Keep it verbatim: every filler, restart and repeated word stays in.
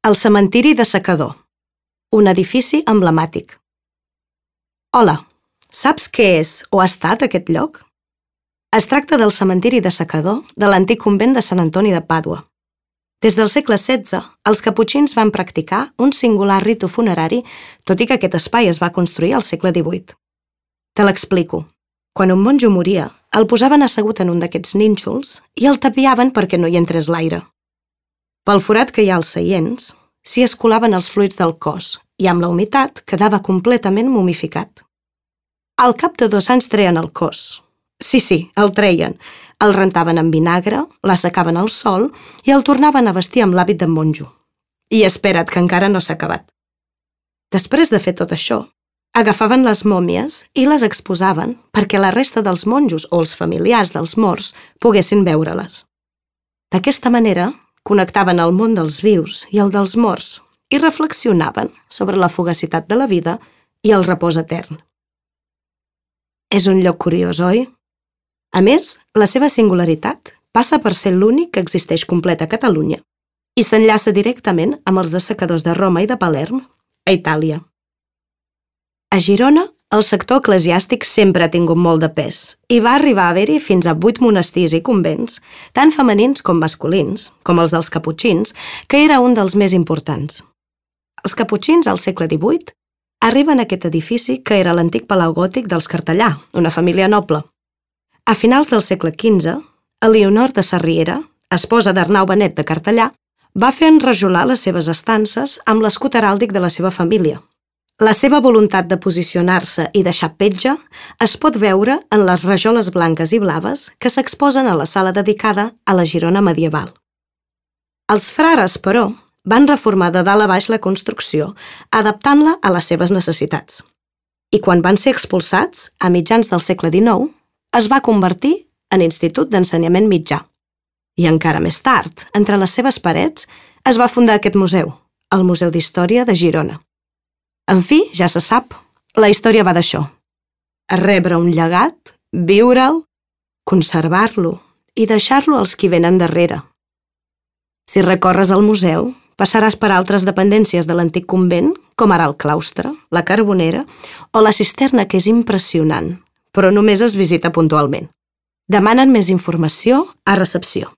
El cementiri de Secador, un edifici emblemàtic. Hola, saps què és o ha estat aquest lloc? Es tracta del cementiri de Secador de l'antic convent de Sant Antoni de Pàdua. Des del segle setze, els caputxins van practicar un singular ritu funerari, tot i que aquest espai es va construir al segle divuit. Te l'explico. Quan un monjo moria, el posaven assegut en un d'aquests nínxols i el tapiaven perquè no hi entrés l'aire. Pel forat que hi ha als seients, s'hi escolaven els fluids del cos i amb la humitat quedava completament mumificat. Al cap de dos anys treien el cos. Sí, sí, el treien. El rentaven amb vinagre, l'assecaven al sol i el tornaven a vestir amb l'hàbit de monjo. I espera't, que encara no s'ha acabat. Després de fer tot això, agafaven les mòmies i les exposaven perquè la resta dels monjos o els familiars dels morts poguessin veure-les. D'aquesta manera, connectaven el món dels vius i el dels morts i reflexionaven sobre la fugacitat de la vida i el repòs etern. És un lloc curiós, oi? A més, la seva singularitat passa per ser l'únic que existeix complet a Catalunya i s'enllaça directament amb els dessecadors de Roma i de Palerm, a Itàlia. A Girona, el sector eclesiàstic sempre ha tingut molt de pes i va arribar a haver-hi fins a vuit monestirs i convents, tant femenins com masculins, com els dels caputxins, que era un dels més importants. Els caputxins, al segle divuit, arriben a aquest edifici que era l'antic palau gòtic dels Cartellà, una família noble. A finals del segle quinze, Elionor de Sarriera, esposa d'Arnau Benet de Cartellà, va fer enrajolar les seves estances amb l'escut heràldic de la seva família. La seva voluntat de posicionar-se i deixar petja es pot veure en les rajoles blanques i blaves que s'exposen a la sala dedicada a la Girona medieval. Els frares, però, van reformar de dalt a baix la construcció, adaptant-la a les seves necessitats. I quan van ser expulsats, a mitjans del segle dinou, es va convertir en institut d'ensenyament mitjà. I encara més tard, entre les seves parets, es va fundar aquest museu, el Museu d'Història de Girona. En fi, ja se sap, la història va d'això. Rebre un llegat, viure'l, conservar-lo i deixar-lo als qui venen darrere. Si recorres al museu, passaràs per altres dependències de l'antic convent, com ara el claustre, la carbonera o la cisterna, que és impressionant, però només es visita puntualment. Demanen més informació a recepció.